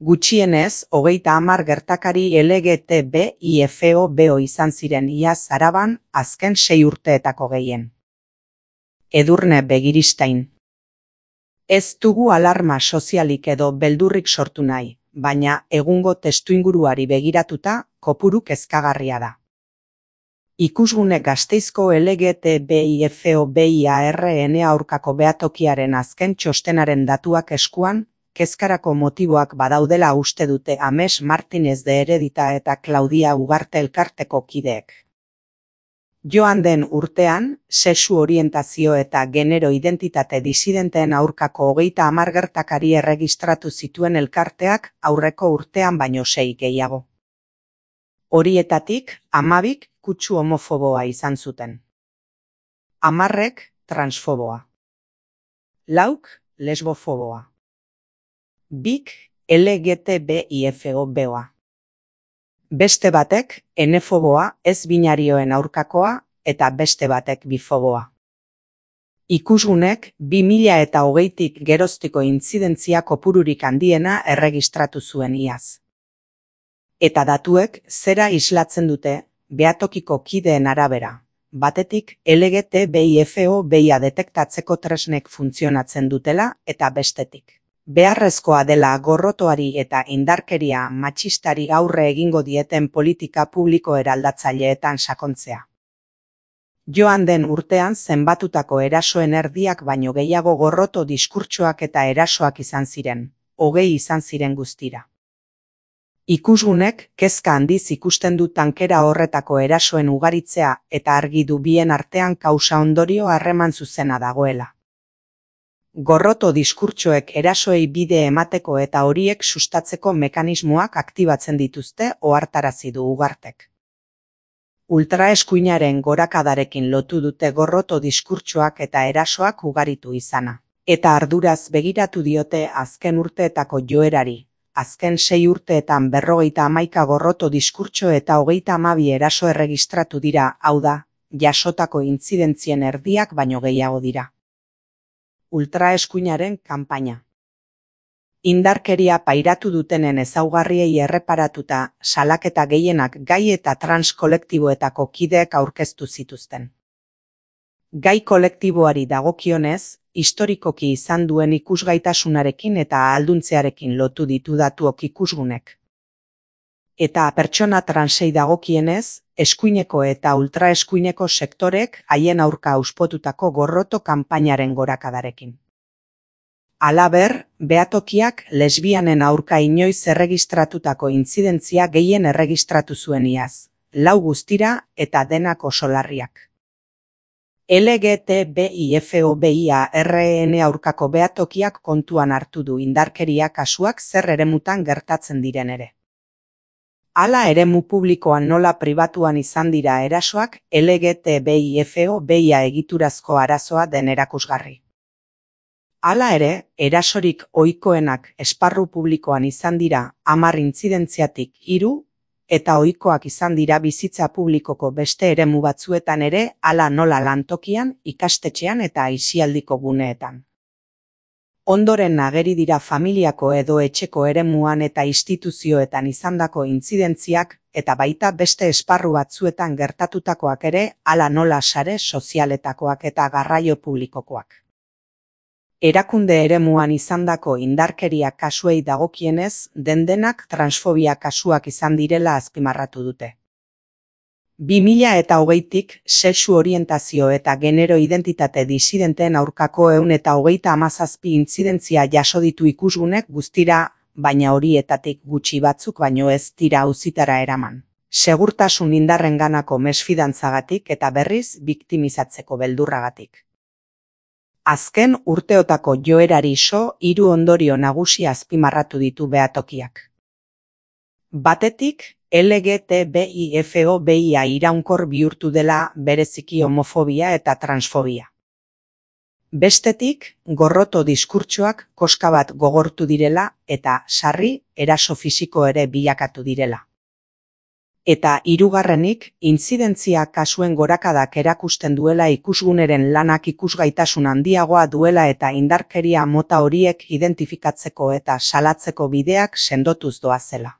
Gutxienez, 30 gertakari LGTBIFO izan ziren iaz Araban azken 6 urteetako gehien. Edurne Begiristain. Ez dugu alarma sozialik edo beldurrik sortu nahi, baina egungo testuinguruari begiratuta kopuru kezkagarria da. Ikusgune Gasteizko LGTBIFOBIARN aurkako behatokiaren azken txostenaren datuak eskuan, kezkarako motiboak badaudela uste dute Ames Martinez de Heredita eta Claudia Ugarte elkarteko kideek. Joan den urtean, sexu orientazio eta genero identitate disidenteen aurkako 30 gertakari erregistratu zituen elkarteak aurreko urtean baino 6 gehiago. Horietatik, 12 kutsu homofoboa izan zuten. 10 transfoboa. 4 lesbofoboa. 2 LGTBIFOBoa. Beste batek enefoboa ez binarioen aurkakoa eta beste batek bifoboa. Ikusgunek 2020tik geroztiko intzidentzia kopururik handiena erregistratu zuen iaz. Eta datuek zera islatzen dute behatokiko kideen arabera. Batetik LGTBIFOBia detektatzeko tresnek funtzionatzen dutela eta bestetik. Beharrezkoa dela gorrotoari eta indarkeria matxistari aurre egingo dieten politika publiko eraldatzaileetan sakontzea. Joan den urtean zenbatutako erasoen erdiak baino gehiago gorroto diskurtsoak eta erasoak izan ziren, 20 izan ziren guztira. Ikusgunek kezka handiz ikusten du tankera horretako erasoen ugaritzea eta argi du bien artean kausa-ondorio harreman zuzena dagoela. Gorroto diskurtsoek erasoei bide emateko eta horiek sustatzeko mekanismoak aktibatzen dituzte ohartarazi du Ugartek. Ultraeskuinaren gorakadarekin lotu dute gorroto diskurtsoak eta erasoak ugaritu izana. Eta arduraz begiratu diote azken urteetako joerari. Azken 6 urteetan 51 gorroto diskurtso eta 32 eraso erregistratu dira, hau da, jasotako intzidentzien erdiak baino gehiago dira. Ultraeskuinaren kanpaina. Indarkeria pairatu dutenen ezaugarriei erreparatuta, salaketa gehienak gai eta trans kolektiboetako kideek aurkeztu zituzten. Gai kolektiboari dagokionez, historikoki izan duen ikusgaitasunarekin eta ahalduntzearekin lotu ditu datuok ikusgunek. Eta pertsona transei dagokienez, eskuineko eta ultraeskuineko sektorek haien aurka auspotutako gorroto kanpainaren gorakadarekin. Halaber, behatokiak lesbianen aurka inoiz erregistratutako intzidentzia gehien erregistratu zuen iaz, 4 guztira eta denak oso larriak. LGTBIFOBIARN aurkako behatokiak kontuan hartu du indarkeria kasuak zer eremutan gertatzen diren ere. Hala eremu publikoan nola pribatuan izan dira erasoak LGTBIFOBia egiturazko arazoa den erakusgarri. Hala ere, erasorik ohikoenak esparru publikoan izan dira 10 intzidentziatik 3, eta ohikoak izan dira bizitza publikoko beste eremu batzuetan ere, hala nola lantokian, ikastetxean eta aisialdiko guneetan. Ondoren ageri dira familiako edo etxeko eremuan eta instituzioetan izandako intzidentziak eta baita beste esparru batzuetan gertatutakoak ere, hala nola sare sozialetakoak eta garraio publikokoak. Erakunde eremuan izandako indarkeria kasuei dagokienez, dendenak transfobia kasuak izan direla azpimarratu dute. 2020tik sexu orientazio eta genero identitate disidenteen aurkako 137 intzidentzia jaso ditu ikusgunek guztira, baina horietatik gutxi batzuk baino ez dira auzitara eraman. Segurtasun indarrenganako mesfidantzagatik eta berriz biktimizatzeko beldurragatik. Azken urteotako joerari 3 ondorio nagusi azpimarratu ditu behatokiak. Batetik, LGTBIFOBia iraunkor bihurtu dela bereziki homofobia eta transfobia. Bestetik, gorroto diskurtsoak koska bat gogortu direla eta sarri eraso fisiko ere bilakatu direla. Eta hirugarrenik, intzidentzia kasuen gorakadak erakusten duela ikusguneren lanak ikusgaitasun handiagoa duela eta indarkeria mota horiek identifikatzeko eta salatzeko bideak sendotuz doazela.